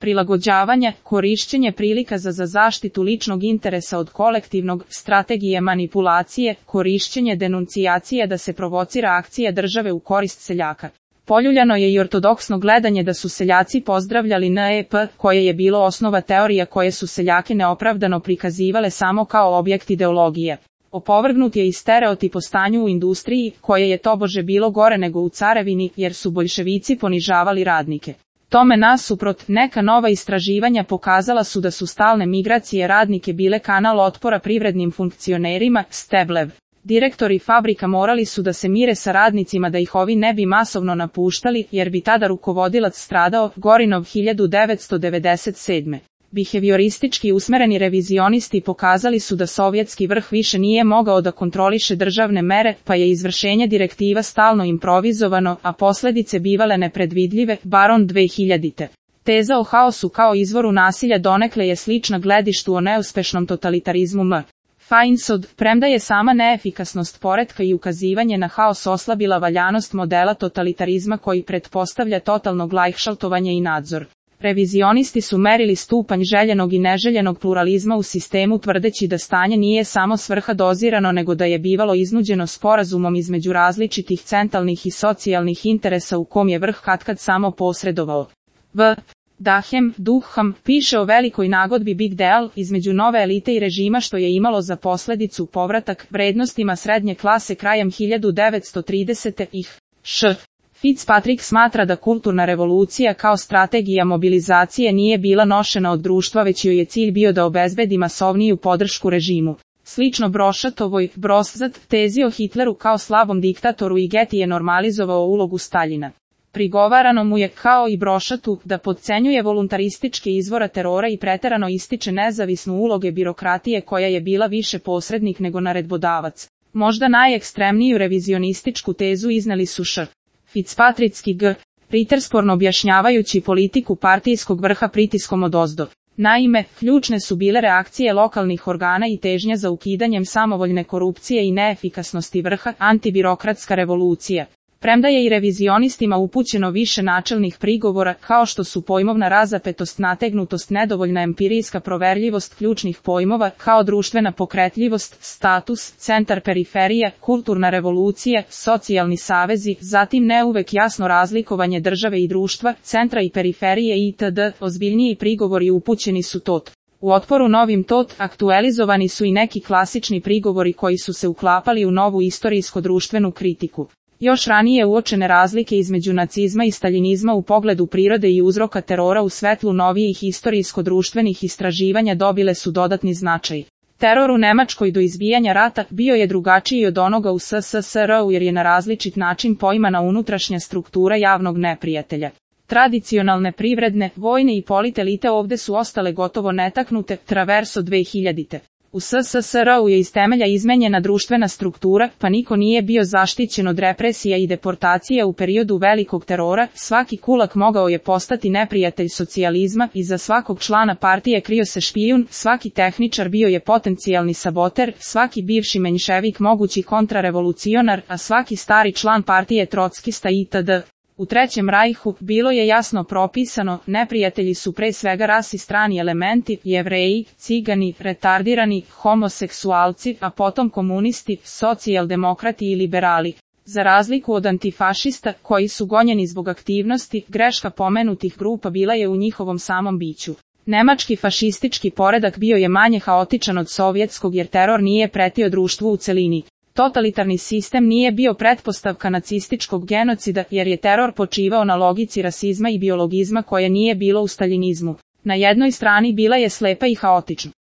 prilagođavanja, korišćenje prilika za zaštitu ličnog interesa od kolektivnog, strategije manipulacije, korišćenje denuncijacije da se provocira akcija države u korist seljaka. Poljuljano je i ortodoksno gledanje da su seljaci pozdravljali NEP, koje je bilo osnova teorija koje su seljake neopravdano prikazivale samo kao objekt ideologije. Opovrgnut je i stereotip o stanju u industriji, koje je tobože bilo gore nego u carevini, jer su boljševici ponižavali radnike. Tome nasuprot, neka nova istraživanja pokazala su da su stalne migracije radnike bile kanal otpora privrednim funkcionerima, Steblev. Direktori fabrika morali su da se mire sa radnicima da ih ovi ne bi masovno napuštali, jer bi tada rukovodilac stradao, Gorinov 1997. Bihevioristički usmereni revizionisti pokazali su da sovjetski vrh više nije mogao da kontroliše državne mere, pa je izvršenje direktiva stalno improvizovano, a posljedice bivale nepredvidljive, Baron 2000. Teza o haosu kao izvoru nasilja donekle je slična gledištu o neuspešnom totalitarizmu M. Feinsod, premda je sama neefikasnost poretka i ukazivanje na haos oslabila valjanost modela totalitarizma koji pretpostavlja totalno glajhšaltovanje i nadzor. Revizionisti su merili stupanj željenog i neželjenog pluralizma u sistemu tvrdeći da stanje nije samo svrha dozirano nego da je bivalo iznuđeno sporazumom između različitih centralnih i socijalnih interesa u kom je vrh katkad samo posredovao. Duham piše o velikoj nagodbi Big Deal između nove elite i režima što je imalo za posljedicu povratak vrednostima srednje klase krajem 1930-ih. Fitzpatrick smatra da kulturna revolucija kao strategija mobilizacije nije bila nošena od društva već joj je cilj bio da obezbedi masovniju podršku režimu. Slično Brošatovoj, Broszat, tezi o Hitleru kao slabom diktatoru i Getty je normalizovao ulogu Staljina. Prigovarano mu je, kao i Brošatu, da podcenjuje voluntarističke izvora terora i preterano ističe nezavisnu uloge birokratije koja je bila više posrednik nego naredbodavac. Možda najekstremniju revizionističku tezu izneli su Fitzpatrickski Rittersporn objašnjavajući politiku partijskog vrha pritiskom odozdo. Naime, ključne su bile reakcije lokalnih organa i težnja za ukidanjem samovoljne korupcije i neefikasnosti vrha, antibirokratska revolucija. Premda je i revizionistima upućeno više načelnih prigovora, kao što su pojmovna razapetost, nategnutost, nedovoljna empirijska proverljivost ključnih pojmova, kao društvena pokretljivost, status, centar periferija, kulturna revolucija, socijalni savezi, zatim ne uvek jasno razlikovanje države i društva, centra i periferije itd., ozbiljniji prigovori upućeni su U otporu novim aktualizovani su i neki klasični prigovori koji su se uklapali u novu istorijsko-društvenu kritiku. Još ranije uočene razlike između nacizma i staljinizma u pogledu prirode i uzroka terora u svetlu novijih istorijsko-društvenih istraživanja dobile su dodatni značaj. Teror u Nemačkoj do izbijanja rata bio je drugačiji od onoga u SSSR-u jer je na različit način poimana unutrašnja struktura javnog neprijatelja. Tradicionalne privredne, vojne i politelite ovde su ostale gotovo netaknute, Traverso 2000. U SSSR-u je iz temelja izmenjena društvena struktura, pa niko nije bio zaštićen od represija i deportacija u periodu velikog terora, svaki kulak mogao je postati neprijatelj socijalizma, iza svakog člana partije krio se špijun, svaki tehničar bio je potencijalni saboter, svaki bivši menjševik mogući kontrarevolucionar, a svaki stari član partije trockista itd. U Trećem rajhu bilo je jasno propisano, neprijatelji su pre svega rasi strani elementi, Jevreji, Cigani, retardirani, homoseksualci, a potom komunisti, socijaldemokrati i liberali. Za razliku od antifašista, koji su gonjeni zbog aktivnosti, greška pomenutih grupa bila je u njihovom samom biću. Nemački fašistički poredak bio je manje haotičan od sovjetskog jer teror nije pretio društvu u celini. Totalitarni sistem nije bio pretpostavka nacističkog genocida jer je teror počivao na logici rasizma i biologizma koje nije bilo u staljinizmu. Na jednoj strani bila je slepa i haotična.